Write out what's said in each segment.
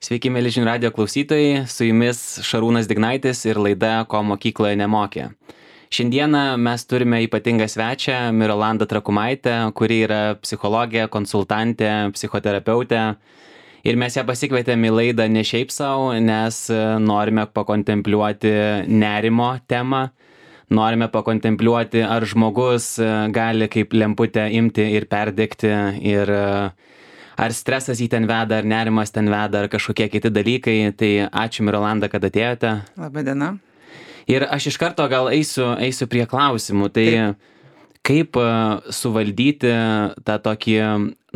Sveiki, mėly žinių radijo klausytojai, su jumis Šarūnas Dignaitis ir laida Ko mokykloje nemokė. Šiandieną mes turime ypatingą svečią Mirolandą Trakumaitę, kuri yra psichologė, konsultantė, psichoterapeutė. Ir mes ją pasikvietėme į laidą ne šiaip savo, nes norime pakontempliuoti nerimo temą. Norime pakontempliuoti, ar žmogus gali kaip lemputę imti ir perdegti, ir ar stresas jį ten veda, ar nerimas ten veda, ar kažkokie kiti dalykai. Tai ačiū, Mirolanda, kad atėjote. Labą dieną. Ir aš iš karto gal eisiu prie klausimų. Tai kaip suvaldyti tą tokį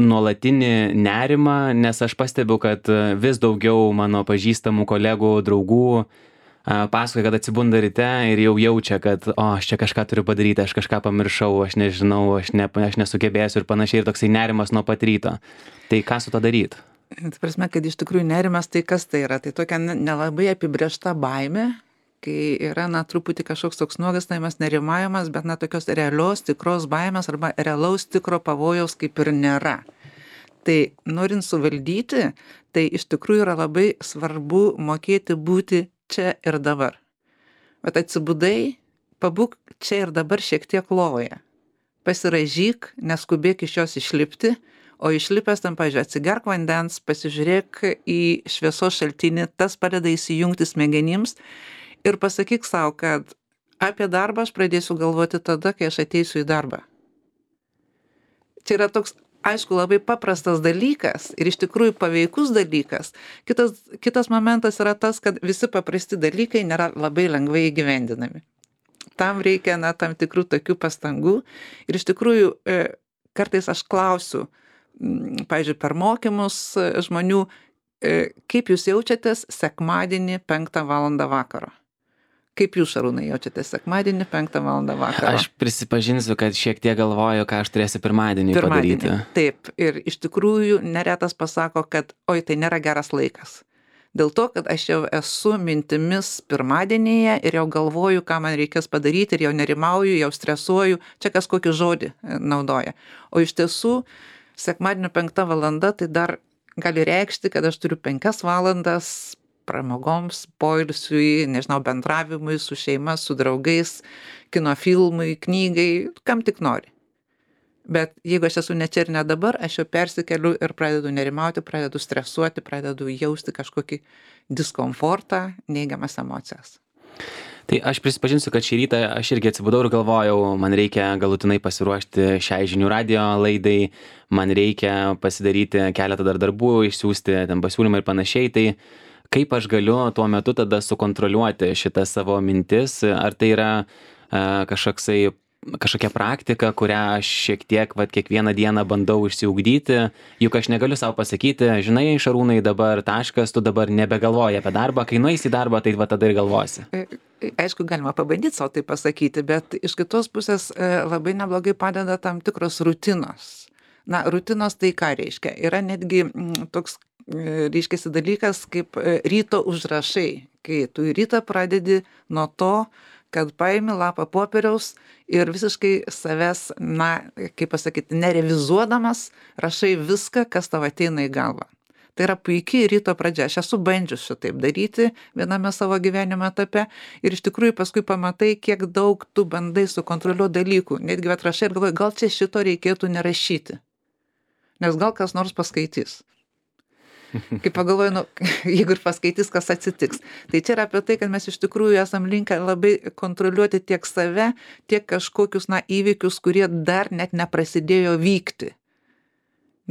nuolatinį nerimą, nes aš pastebiu, kad vis daugiau mano pažįstamų kolegų, draugų pasakoja, kad atsibunda ryte ir jau jaučia, kad aš čia kažką turiu padaryti, aš kažką pamiršau, aš nežinau, aš nesugebėsiu ir panašiai, ir toksai nerimas nuo pat ryto. Tai ką su to daryti? Tai prasme, kad iš tikrųjų nerimas, tai kas tai yra? Tai tokia nelabai apibrėžta baimė, kai yra, truputį kažkoks toks nuogąstavimas, nerimavimas, bet tokios realios, tikros baimės arba realaus tikro pavojaus kaip ir nėra. Tai norint suvaldyti, tai iš tikrųjų yra labai svarbu mokėti būti čia ir dabar. Bet atsibudai, pabūk čia ir dabar šiek tiek lovoje. Pasiraižyk, neskubėk iš jos išlipti, o išlipęs tam, pavyzdžiui, atsigerk vandens, pasižiūrėk į šviesos šaltinį, tas padeda įsijungti smegenims ir pasakyk savo, kad apie darbą aš pradėsiu galvoti tada, kai aš ateisiu į darbą. Čia yra toks, aišku, labai paprastas dalykas ir iš tikrųjų paveikus dalykas. Kitas momentas yra tas, kad visi paprasti dalykai nėra labai lengvai įgyvendinami. Tam reikia tam tikrų tokių pastangų ir iš tikrųjų kartais aš klausiu, pavyzdžiui, per mokymus žmonių, kaip jūs jaučiatės sekmadienį 5 valandą vakaro? Kaip jūs, Šarūnai, jaučiatės sekmadienį 5 valandą vakaro? Aš prisipažinsiu, kad šiek tiek galvoju, ką aš turėsiu pirmadienį padaryti. Taip, ir iš tikrųjų neretas pasako, kad tai nėra geras laikas. Dėl to, kad aš jau esu mintimis pirmadienyje ir jau galvoju, ką man reikės padaryti ir jau nerimauju, jau stresuoju, čia kas kokį žodį naudoja. O iš tiesų, sekmadienio 5 valanda tai dar gali reikšti, kad aš turiu 5 valandas pramogoms, poilsiui, bendravimui su šeima, su draugais, kino filmui, knygai, kam tik nori. Bet jeigu aš esu ne čia ir ne dabar, aš jau persikeliu ir pradedu nerimauti, pradedu stresuoti, pradedu jausti kažkokį diskomfortą, neigiamas emocijas. Tai aš prisipažinsiu, kad šį rytą aš irgi atsibudau ir galvojau, man reikia galutinai pasiruošti šiai žinių radijo laidai, man reikia pasidaryti keletą dar darbų, išsiųsti ten pasiūlymą ir panašiai. Tai kaip aš galiu tuo metu tada sukontroliuoti šitą savo mintis, ar tai yra kažkokia praktika, kurią aš šiek tiek kiekvieną dieną bandau išsiugdyti, juk aš negaliu savo pasakyti, žinai, Šarūnai, dabar taškas, tu dabar nebegalvoji apie darbą, kai nueisi į darbą, tai tada ir galvosi. Aišku, galima pabandyti savo tai pasakyti, bet iš kitos pusės labai neblogai padeda tam tikros rutinos. Rutinos tai ką reiškia? Yra netgi toks reiškiasi dalykas kaip ryto užrašai, kai tu į rytą pradedi nuo to, kad paimi lapą popieriaus ir visiškai savęs, kaip pasakyti, nerevizuodamas, rašai viską, kas tau ateina į galvą. Tai yra puikiai ryto pradžia. Aš esu bandžius šitaip daryti viename savo gyvenimo etape ir iš tikrųjų paskui pamatai, kiek daug tu bandai sukontroliuoti dalykų. Netgi atrašai ir galvoji, gal čia šito reikėtų nerašyti, nes gal kas nors paskaitys. Kaip pagalvoju, jeigu ir paskaitys, kas atsitiks. Tai čia yra apie tai, kad mes iš tikrųjų esam linkę labai kontroliuoti tiek save, tiek kažkokius įvykius, kurie dar net neprasidėjo vykti.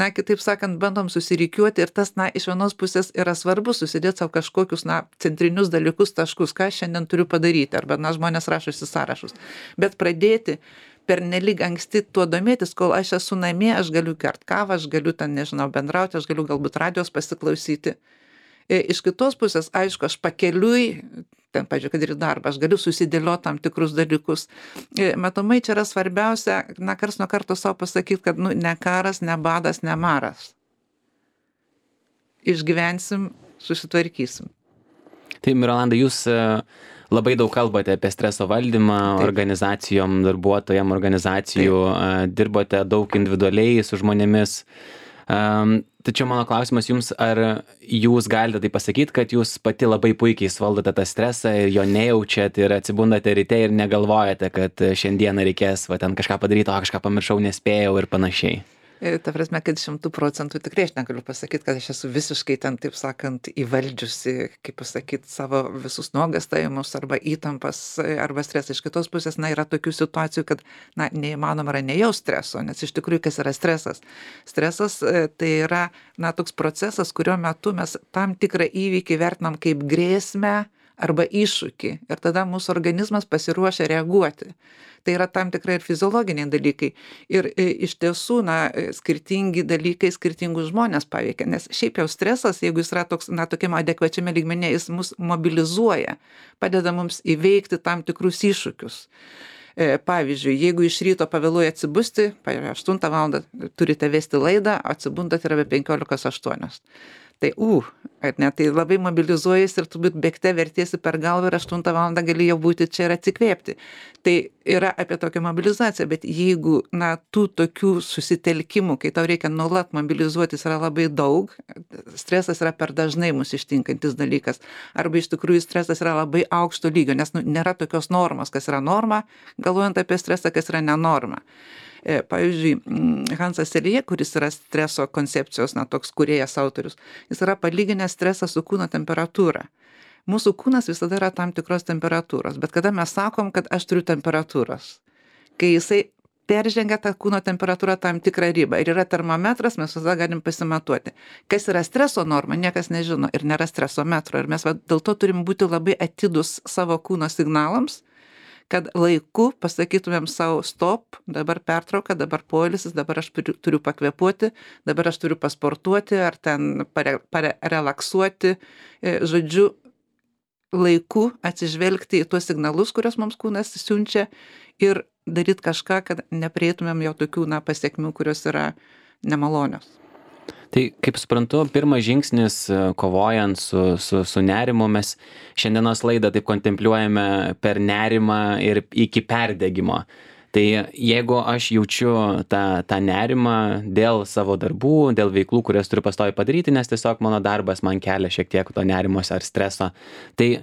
Kitaip sakant, bandom susirikiuoti ir tas, iš vienos pusės yra svarbu susidėti savo kažkokius, centrinius dalykus, taškus, ką šiandien turiu padaryti, arba, žmonės rašosi sąrašus. Bet pradėti pernelyg anksti tuo domėtis, kol aš esu namie, aš galiu gert kavą, aš galiu ten, bendrauti, aš galiu galbūt radijos pasiklausyti. Iš kitos pusės, aišku, aš pakeliui, ten, pavyzdžiui, kad ir darbą, aš galiu susidėlioti tam tikrus dalykus. Matomai, čia yra svarbiausia, karts nuo karto savo pasakyti, kad ne karas, ne badas, ne maras. Išgyvensim, susitvarkysim. Tai, Mirolanda, jūs labai daug kalbate apie streso valdymą. Taip. Organizacijom, darbuotojam, organizacijų. Taip. Dirbote daug individualiai su žmonėmis. Tačiau mano klausimas jums, ar jūs galite tai pasakyti, kad jūs pati labai puikiai suvaldote tą stresą ir jo nejaučiat ir atsibundate ryte ir negalvojate, kad šiandieną reikės va ten kažką padaryti, o kažką pamiršau, nespėjau ir panašiai? Ta prasme, kad 100% tikrai aš negaliu pasakyti, kad aš esu visiškai ten, taip sakant, įvaldžiusi, kaip pasakyti, savo visus nuogastavimus arba įtampas arba stresą. Iš kitos pusės, yra tokių situacijų, kad, neįmanoma yra nejaus streso, nes iš tikrųjų, kas yra stresas? Stresas tai yra, toks procesas, kurio metu mes tam tikrą įvykį vertinam kaip grėsmę arba iššūkį ir tada mūsų organizmas pasiruošia reaguoti. Tai yra tam tikrai ir fiziologiniai dalykai. Ir iš tiesų, skirtingi dalykai skirtingus žmonės paveikia, nes šiaip jau stresas, jeigu jis yra toks, tokiam adekvačiame lygmenyje, jis mus mobilizuoja, padeda mums įveikti tam tikrus iššūkius. Pavyzdžiui, jeigu iš ryto pavėluoja atsibusti, 8 valandą turite vesti laidą, atsibundat yra be 15:08. Tai, tai labai mobilizuojasi ir turbūt bėgte vertiesi per galvą ir 8 valandą gali jau būti čia ir atsikvėpti. Tai yra apie tokią mobilizaciją, bet jeigu, tų tokių susitelkimų, kai tau reikia nuolat mobilizuotis, yra labai daug, stresas yra per dažnai mus ištinkantis dalykas. Arba iš tikrųjų stresas yra labai aukšto lygio, nes nėra tokios normos, kas yra norma, galvojant apie stresą, kas yra nenorma. Pavyzdžiui, Hansas Selye, kuris yra streso koncepcijos, toks kūrėjas autorius, jis yra palyginęs stresą su kūno temperatūra. Mūsų kūnas visada yra tam tikros temperatūros, bet kada mes sakom, kad aš turiu temperatūros, kai jisai peržengia tą kūno temperatūrą tam tikrą ribą ir yra termometras, mes visada galim pasimatuoti. Kas yra streso norma, niekas nežino ir nėra streso metro ir mes dėl to turim būti labai atidus savo kūno signalams, kad laiku pasakytumėm savo stop, dabar pertrauka, dabar poilsis, dabar aš turiu pakvėpuoti, dabar aš turiu pasportuoti ar ten parelaksuoti, žodžiu, laiku atsižvelgti į tuos signalus, kurios mums kūnas siunčia ir daryti kažką, kad neprieitumėm jau tokių pasiekmių, kurios yra nemalonios. Tai, kaip suprantu, pirmas žingsnis kovojant su nerimu, mes šiandienos laidą taip kontempliuojame per nerimą ir iki perdegimo. Tai jeigu aš jaučiu tą nerimą dėl savo darbų, dėl veiklų, kurias turiu pastoviai padaryti, nes tiesiog mano darbas man kelia šiek tiek to nerimos ar streso, tai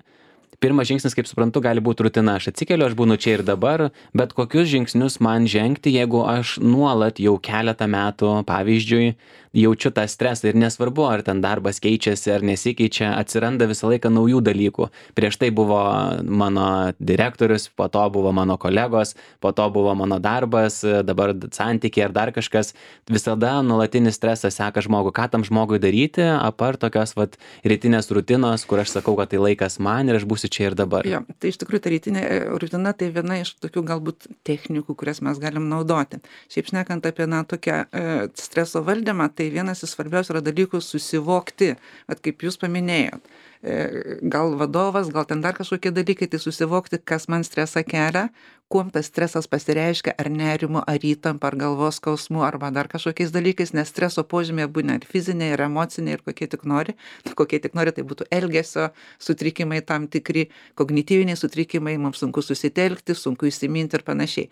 pirmas žingsnis, kaip suprantu, gali būti rutina. Aš atsikeliu, aš būnu čia ir dabar, bet kokius žingsnius man žengti, jeigu aš nuolat jau keletą metų, pavyzdžiui, jaučiu tą stresą ir nesvarbu, ar ten darbas keičiasi ar nesikeičia, atsiranda visą laiką naujų dalykų. Prieš tai buvo mano direktorius, po to buvo mano kolegos, po to buvo mano darbas, dabar santykiai ar dar kažkas. Visada nuolatinis stresas seka žmogų. Ką tam žmogui daryti, apart tokios rytinės rutinos, kur aš sakau, kad tai laikas man ir aš būsiu čia ir dabar. Jo, tai iš tikrųjų ta rytinė rutina tai viena iš tokių galbūt technikų, kurias mes galim naudoti. Šiaip šnekant apie tokią streso valdymą, tai vienas iš svarbiausių yra dalykų susivokti, kaip jūs paminėjot. Gal vadovas, gal ten dar kažkokie dalykai, tai susivokti, kas man stresą kelia, kuom tas stresas pasireiškia, ar nerimu, ar įtampa, ar galvos skausmu, arba dar kažkokiais dalykais, nes streso požymiai būna ir fiziniai, ir emociniai, ir kokie tik nori. Kokie tik nori, tai būtų elgesio sutrikimai tam tikri, kognityviniai sutrikimai, mums sunku susitelkti, sunku įsiminti ir panašiai.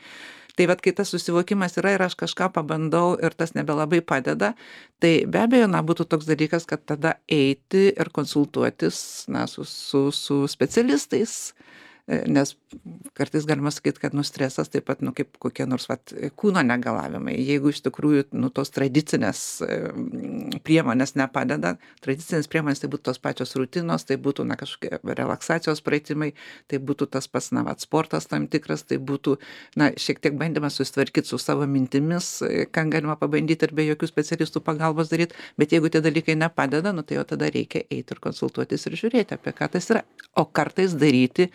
Tai kai tas susivokimas yra ir aš kažką pabandau ir tas nebelabai padeda, tai be abejo, būtų toks dalykas, kad tada eiti ir konsultuotis su specialistais, nes kartais galima sakyti, kad stresas taip pat kaip kokie nors kūno negalavimai. Jeigu iš tikrųjų tos tradicinės priemonės nepadeda, tradicinės priemonės tai būtų tos pačios rutinos, tai būtų kažkokie relaksacijos pratimai, tai būtų tas pats sportas tam tikras, tai būtų šiek tiek bandymas susitvarkyti su savo mintimis, ką galima pabandyti ir be jokių specialistų pagalbos daryti, bet jeigu tie dalykai nepadeda, tai jau tada reikia eiti ir konsultuotis ir žiūrėti, apie ką tas yra, o kartais daryti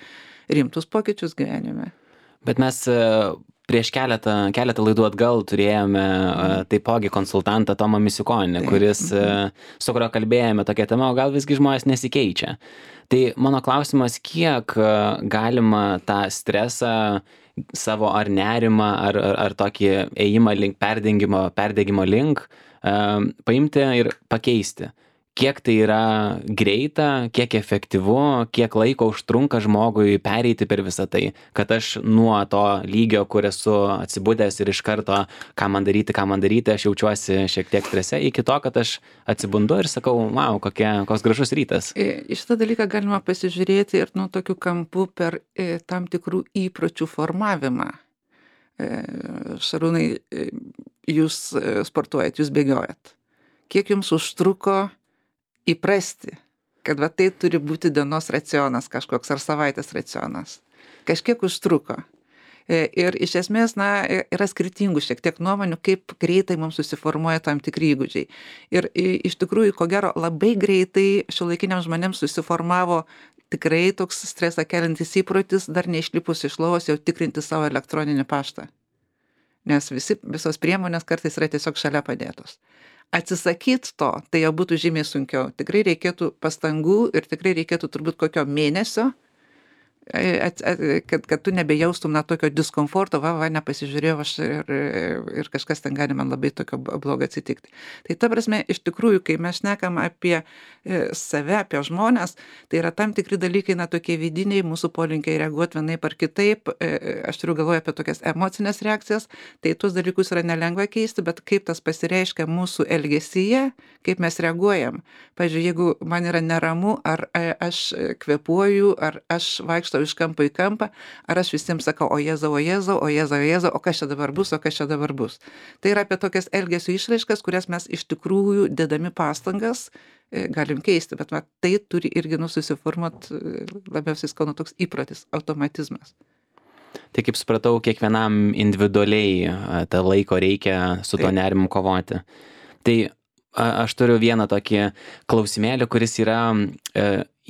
rimtus pokyčius gyvenime. Bet mes prieš keletą laidų atgal turėjome taipogi konsultantą Tomą Misiukonį, kuris, su kurio kalbėjome tokia tema, o gal visgi žmonės nesikeičia. Tai mano klausimas, kiek galima tą stresą savo ar nerimą, ar tokį ėjimą link perdegimo link paimti ir pakeisti. kiek tai yra greita, kiek efektyvu, kiek laiko užtrunka žmogui pereiti per visą tai, kad aš nuo to lygio, kur esu atsibudęs ir iš karto, ką man daryti, aš jaučiuosi šiek tiek strese, iki to, kad aš atsibundu ir sakau, wow, koks gražus rytas. Į šitą dalyką galima pasižiūrėti ir nuo tokių kampų per tam tikrų įpročių formavimą. Šarūnai, jūs sportuojat, jūs bėgiojat. Kiek jums užtruko įprasti, kad va tai turi būti dienos racionas kažkoks ar savaitės racionas? Kažkiek užtruko. Ir iš esmės, yra skirtingų šiek tiek nuomonių, kaip greitai mums susiformuoja tam tikri įgūdžiai. Ir iš tikrųjų, ko gero, labai greitai šiuolaikiniams žmonėms susiformavo tikrai toks stresą keliantis įprotis, dar neišlipus iš lovos jau tikrinti savo elektroninį paštą. Nes visos priemonės kartais yra tiesiog šalia padėtos. Atsisakyti to, tai jau būtų žymiai sunkiau. Tikrai reikėtų pastangų ir tikrai reikėtų turbūt kokio mėnesio, kad tu nebejaustum tokio diskomforto, nepasižiūrėjau aš ir kažkas ten gali man labai tokio blogo atsitikti. Tai ta prasme, iš tikrųjų, kai mes šnekam apie save, apie žmonės, tai yra tam tikri dalykai, tokie vidiniai, mūsų polinkiai reaguoti vienaip ar kitaip, aš turiu galvoje apie tokias emocinės reakcijas, tai tuos dalykus yra nelengva keisti, bet kaip tas pasireiškia mūsų elgesyje, kaip mes reaguojam. Pavyzdžiui, jeigu man yra neramu, ar aš kvėpuoju, ar aš vaikštau iš kampo į kampą, ar aš visiems sakau, o Jėzau, o kas čia dabar bus. Tai yra apie tokias elgesio išraiškas, kurias mes iš tikrųjų dėdami pastangas galim keisti, bet tai turi irgi susiformuoti labiausiai skaunu toks įprotis, automatizmas. Tai kaip supratau, kiekvienam individualiai tą laiko reikia su to nerimu kovoti. Tai aš turiu vieną tokį klausimėlį, kuris yra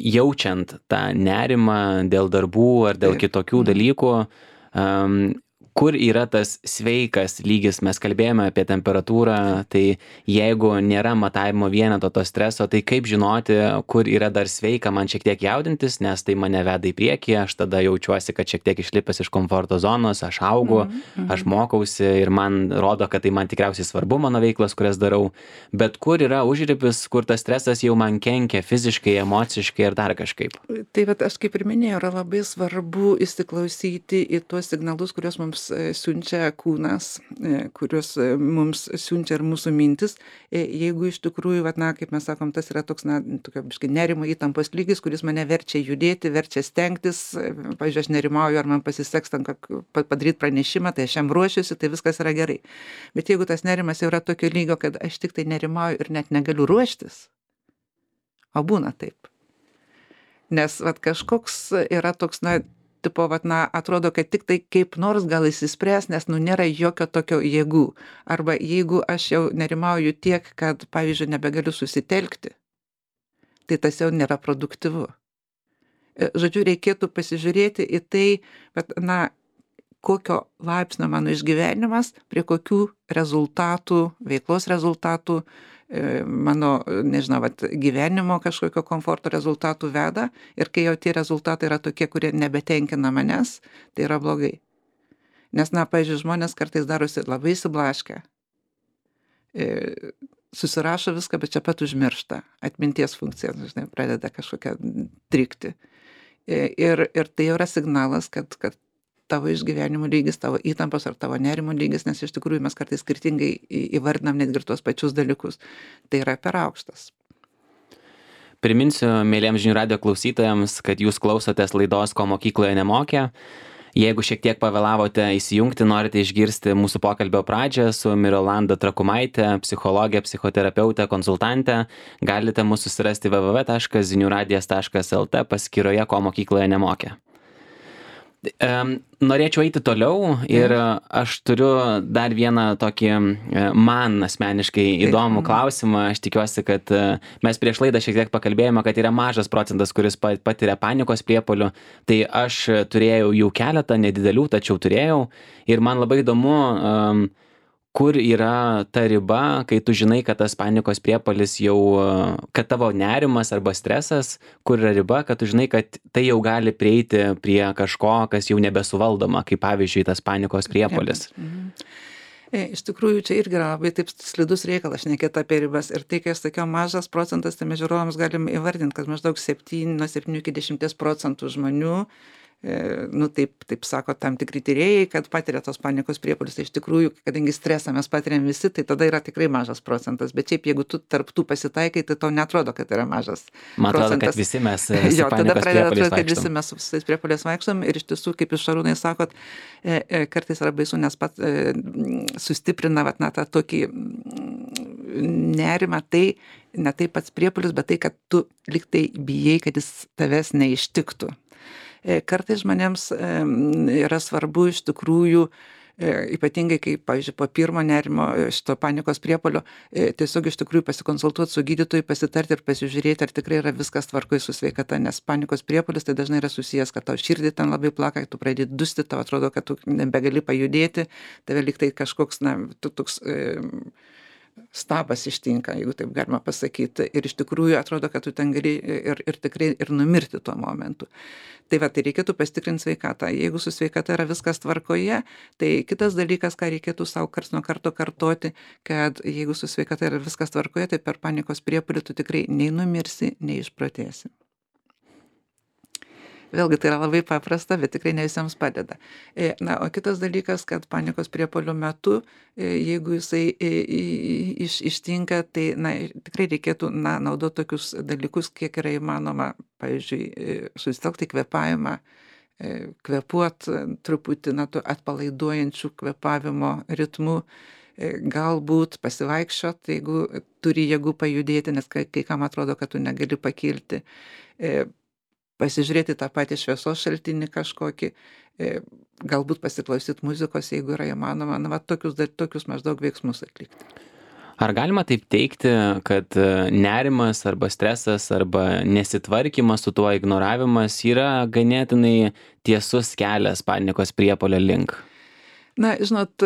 jaučiant tą nerimą dėl darbų ar dėl kitokių dalykų, kur yra tas sveikas lygis, mes kalbėjome apie temperatūrą, tai jeigu nėra matavimo vieneto to streso, tai kaip žinoti, kur yra dar sveika man šiek tiek jaudintis, nes tai mane veda į priekį, aš tada jaučiuosi, kad šiek tiek išlipęs iš komforto zonos, aš augu, aš mokausi ir man rodo, kad tai man tikriausiai svarbu mano veiklas, kurias darau, bet kur yra užribis, kur tas stresas jau man kenkia fiziškai, emociškai ir dar kažkaip. Tai aš kaip ir minėjau, yra labai svarbu įsiklausyti į tuos signalus, kuriuos mums siunčia kūnas, kuriuos mums siunčia ir mūsų mintis. Jeigu iš tikrųjų, kaip mes sakom, tas yra toks, tokio nerimo įtampos lygis, kuris mane verčia judėti, verčia stengtis, pavyzdžiui, aš nerimauju, ar man pasiseks tam padaryti pranešimą, tai aš jam ruošiuosi, tai viskas yra gerai. Bet jeigu tas nerimas jau yra tokio lygio, kad aš tik tai nerimauju ir net negaliu ruoštis, o būna taip. Nes kažkoks yra toks, tipo, atrodo, kad tik tai kaip nors gal įsispręs, nes nėra jokio tokio jėgų. Arba jeigu aš jau nerimauju tiek, kad, pavyzdžiui, nebegaliu susitelkti, tai tas jau nėra produktyvu. Žodžiu, reikėtų pasižiūrėti į tai, kokio laipsnio mano išgyvenimas, prie kokių rezultatų, veiklos rezultatų, mano, nežinau, gyvenimo kažkokio komforto rezultatų veda, ir kai jau tie rezultatai yra tokie, kurie nebetenkina manęs, tai yra blogai. Nes, pavyzdžiui, žmonės kartais darosi labai įsiblaškę, susirašo viską, bet čia pat užmiršta, atminties funkcija, pradeda kažkokią trikti. Ir tai jau yra signalas, kad tavo išgyvenimo lygis, tavo įtampos ar tavo nerimo lygis, nes iš tikrųjų mes kartais skirtingai įvardinam netgi tuos pačius dalykus. Tai yra per aukštas. Priminsiu mėlyjams žinių radijo klausytojams, kad jūs klausotės laidos Ko mokykloje nemokė. Jeigu šiek tiek pavėlavote įsijungti, norite išgirsti mūsų pokalbio pradžią su Mirolanda Trakumaite, psichologė, psichoterapeutė, konsultantė, galite mūsų susirasti www.ziniuradijas.lt paskyroje Ko mokykloje nemokė. Norėčiau eiti toliau ir aš turiu dar vieną tokį man asmeniškai įdomų klausimą. Aš tikiuosi, kad mes prieš laidą šiek tiek pakalbėjome, kad yra mažas procentas, kuris patiria panikos priepuolių. Tai aš turėjau jų keletą, nedidelių, tačiau turėjau. Ir man labai įdomu, kur yra ta riba, kai tu žinai, kad tas panikos priepuolis jau, kad tavo nerimas arba stresas, kur yra riba, kad tu žinai, kad tai jau gali prieiti prie kažko, kas jau nebesuvaldoma, kaip pavyzdžiui tas panikos priepuolis. Iš tikrųjų, čia irgi yra labai taip slidus reikalas šnekėti apie ribas. Ir tai, kai aš sakiau, mažas procentas, tai mes žiūrovams galim įvardinti, kad maždaug nuo 7 iki 10% žmonių, taip sako tam tikri tyrėjai, kad patiria tos panikos priepuolius. Tai iš tikrųjų, kadangi stresą mes patiriam visi, tai tada yra tikrai mažas procentas. Bet šiaip, jeigu tu tarp tų pasitaikai, tai tau netrodo, kad yra mažas Man atrodo, procentas. kad visi mes Jo, tada pradeda atrodyti, kad vaikštom. visi mes su visais priepuoliais vaikštom. Ir iš tiesų, kaip jūs Šarūnai sakot, kartais yra baisu, nes pat sustiprina tą tokį nerimą, tai ne tai pats priepuolis, bet tai, kad tu liktai bijai, kad jis tavęs neištiktų. Kartais žmonėms yra svarbu iš tikrųjų, ypatingai kai, pavyzdžiui, po pirmo nerimo šito panikos priepuolio, tiesiog iš tikrųjų pasikonsultuoti su gydytoju, pasitarti ir pasižiūrėti, ar tikrai yra viskas tvarkoj su sveikata, nes panikos priepuolis tai dažnai yra susijęs, kad tau širdį ten labai plaka, tu pradedi dusti, tau atrodo, kad tu nebegali pajudėti, tave liktai kažkoks, toks stabas ištinka, jeigu taip galima pasakyti. Ir iš tikrųjų atrodo, kad tu ten gali ir tikrai ir numirti tuo momentu. Tai tai reikėtų pasitikrinti sveikatą. Jeigu su sveikata yra viskas tvarkoje, tai kitas dalykas, ką reikėtų savo karts nuo karto kartoti, kad jeigu su sveikata yra viskas tvarkoje, tai per panikos priepuolį tu tikrai nei numirsi, nei išprotėsi. Vėlgi tai yra labai paprasta, bet tikrai ne visiems padeda. O kitas dalykas, kad panikos priepuolio metu, jeigu jisai ištinka, tai tikrai reikėtų naudoti tokius dalykus, kiek yra įmanoma, pavyzdžiui, susitelkti kvėpavimą, kvėpuot truputį atpalaiduojančių kvėpavimo ritmų, galbūt pasivaikščiot, jeigu turi jėgų pajudėti, nes kai kam atrodo, kad tu negali pakilti, pasižiūrėti tą patį šviesos šaltinį kažkokį, galbūt pasiklausyti muzikos, jeigu yra įmanoma, tokius maždaug veiksmus atlikti. Ar galima taip teigti, kad nerimas arba stresas arba nesitvarkymas su tuo ignoravimas yra ganėtinai tiesus kelias panikos priepuolio link? Žinot,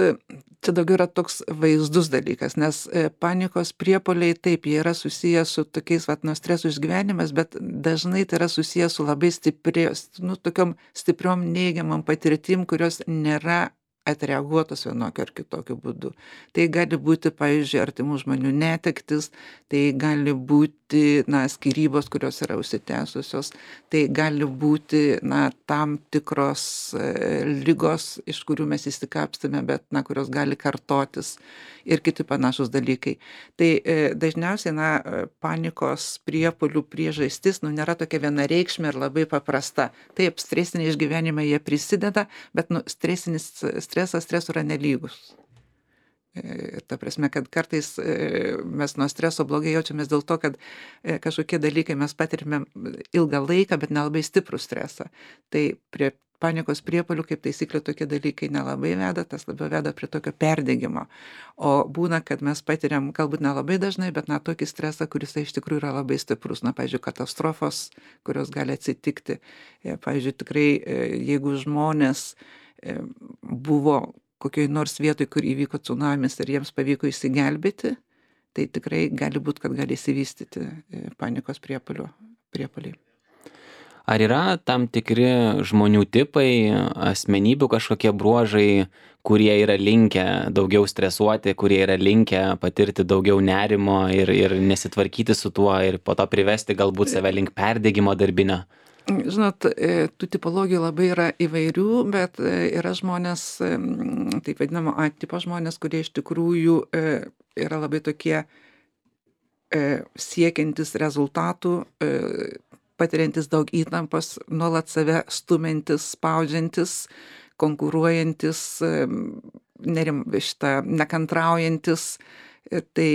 čia daugiau yra toks vaizdus dalykas, nes panikos priepuoliai taip, jie yra susijęs su tokiais nuo streso išgyvenimas, bet dažnai tai yra susijęs su labai tokiom stipriom neigiamam patirtim, kurios nėra atreaguotos vienokiu ar kitokiu būdu. Tai gali būti, pavyzdžiui, artimų žmonių netektis, tai gali būti, skyrybos, kurios yra užsitęsusios, tai gali būti, tam tikros ligos, iš kurių mes įsikapstame, bet, kurios gali kartotis ir kiti panašus dalykai. Tai dažniausiai, panikos priepuolių priežastis, nėra tokia vienareikšmė ir labai paprasta. Taip, stresiniai išgyvenimai jie prisideda, bet, stresas yra nelygus. Ta prasme, kad kartais mes nuo streso blogai jaučiamės dėl to, kad kažkokie dalykai mes patirime ilgą laiką, bet nelabai stiprų stresą. Tai prie panikos priepuolių, kaip taisyklė, tokie dalykai nelabai veda, tas labiau veda prie tokio perdegimo. O būna, kad mes patiriam, galbūt nelabai dažnai, bet tokį stresą, kuris iš tikrųjų yra labai stiprus. Pavyzdžiui, katastrofos, kurios gali atsitikti. Pavyzdžiui, tikrai, jeigu žmonės buvo kokioj nors vietoj, kur įvyko tsunamis ir jiems pavyko išsigelbėti, tai tikrai gali būti, kad gali įsivystyti panikos priepuoliai. Ar yra tam tikri žmonių tipai, asmenybių kažkokie bruožai, kurie yra linkę daugiau stresuoti, kurie yra linkę patirti daugiau nerimo ir nesitvarkyti su tuo ir po to privesti galbūt save link perdegimo darbinio? Žinot, tų tipologijų labai yra įvairių, bet yra žmonės, taip vadinamo A tipo žmonės, kurie iš tikrųjų yra labai tokie siekiantis rezultatų, patiriantis daug įtampos, nuolat save stumiantis, spaudžiantis, konkuruojantis, nekantraujantis. Tai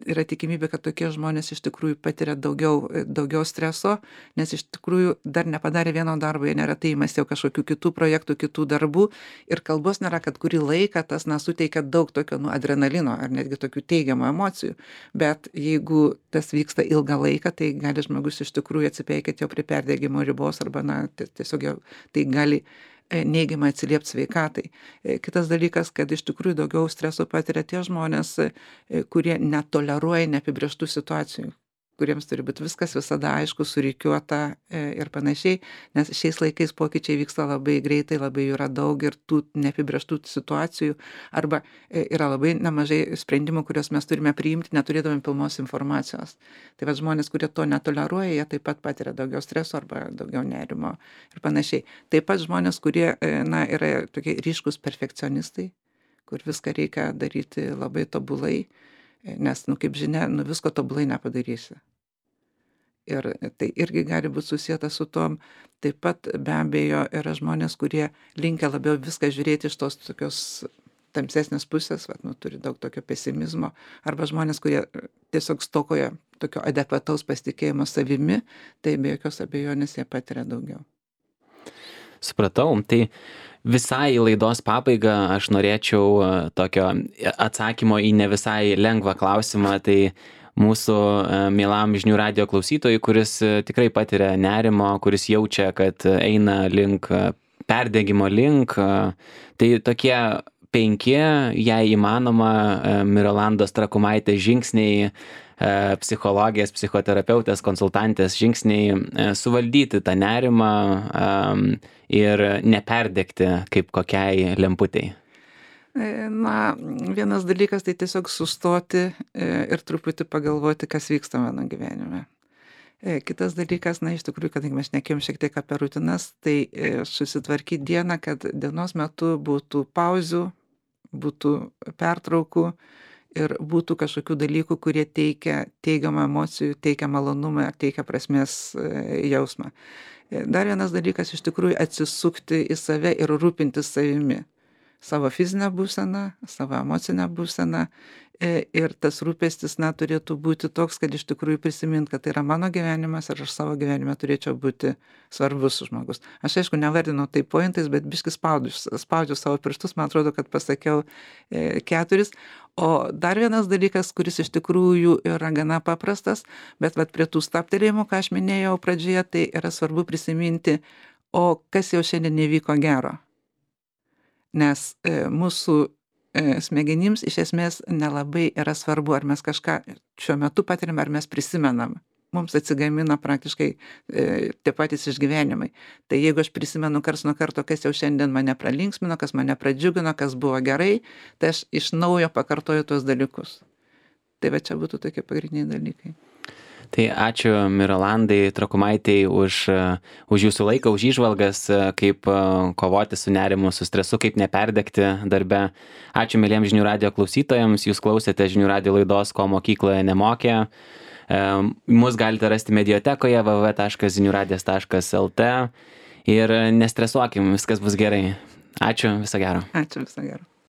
yra tikimybė, kad tokie žmonės iš tikrųjų patiria daugiau streso, nes iš tikrųjų dar nepadarė vieno darbo, jie neretai imasi jau kažkokių kitų projektų, kitų darbų ir kalbos nėra, kad kurį laiką tas suteikia daug tokio adrenalino ar netgi tokių teigiamų emocijų, bet jeigu tas vyksta ilgą laiką, tai gali žmogus iš tikrųjų atsipeikėti jau prie perdegimo ribos arba tiesiog jau tai gali neigiamai atsiliepti sveikatai. Kitas dalykas, kad iš tikrųjų daugiau streso patiria tie žmonės, kurie netoleruoja neapibrėžtų situacijų. kuriems turi būti viskas visada aišku, surikiuota ir panašiai, nes šiais laikais pokyčiai vyksta labai greitai, labai jų yra daug ir tų neapibrėžtų situacijų, arba yra labai nemažai sprendimų, kuriuos mes turime priimti, neturėdami pilnos informacijos. Tai va žmonės, kurie to netoleruoja, jie taip pat patiria daugiau streso arba daugiau nerimo ir panašiai. Taip pat žmonės, kurie yra tokie ryškus perfekcionistai, kur viską reikia daryti labai tobulai, nes, kaip žinia, visko tobulai nepadarysi. Ir tai irgi gali būti susijęta su tom. Taip pat be abejo yra žmonės, kurie linkę labiau viską žiūrėti iš tos tokios tamsesnės pusės, turi daug tokio pesimizmo, arba žmonės, kurie tiesiog stokoja tokio adekvataus pasitikėjimo savimi, tai be jokios abejonės jie patiria daugiau. Supratau. Tai visai laidos pabaigą aš norėčiau tokio atsakymo į ne visai lengvą klausimą. Tai mūsų mielam žinių radijo klausytojui, kuris tikrai patiria nerimo, kuris jaučia, kad eina link perdegimo link, tai tokie 5, jei įmanoma, Mirolandos Trakumaitės žingsniai, psichologės, psichoterapeutės, konsultantės žingsniai suvaldyti tą nerimą ir neperdegti kaip kokiai lemputei. Vienas dalykas tai tiesiog sustoti ir truputį pagalvoti, kas vyksta mano gyvenime. Kitas dalykas, iš tikrųjų, kadangi mes šnekėjom šiek tiek apie rutinas, tai susitvarkyti dieną, kad dienos metu būtų pauzių, būtų pertraukų ir būtų kažkokių dalykų, kurie teikia teigiamą emocijų, teikia malonumą, teikia prasmės jausmą. Dar vienas dalykas, iš tikrųjų, atsisukti į save ir rūpintis savimi. Savo fizinę būseną, savo emocinę būseną. Ir tas rūpestis, turėtų būti toks, kad iš tikrųjų prisimint, kad tai yra mano gyvenimas ir aš savo gyvenime turėčiau būti svarbus žmogus. Aš aišku nevardinu tai pointais, bet biškis spaudžiu savo pirštus, man atrodo, kad pasakiau 4. O dar vienas dalykas, kuris iš tikrųjų yra gana paprastas, bet prie tų stabtelėjimų, ką aš minėjau pradžioje, tai yra svarbu prisiminti, o kas jau šiandien nevyko gero. Nes mūsų smegenims iš esmės nelabai yra svarbu, ar mes kažką šiuo metu patiriam, ar mes prisimenam. Mums atsigamina praktiškai tie patys išgyvenimai. Tai jeigu aš prisimenu karts nuo karto, kas jau šiandien mane pralinksmino, kas mane pradžiugino, kas buvo gerai, tai aš iš naujo pakartoju tuos dalykus. Tai čia būtų tokie pagrindiniai dalykai. Tai ačiū Mirolandai Trakumaitei už jūsų laiką, už įžvalgas, kaip kovoti su nerimu, su stresu, kaip neperdegti darbe. Ačiū mieliems žinių radijo klausytojams, jūs klausėte žinių radijo laidos Ko mokykloje nemokė. Mus galite rasti mediatekoje www.ziniuradijas.lt ir nestresuokim, viskas bus gerai. Ačiū, viso gero. Ačiū, viso gero.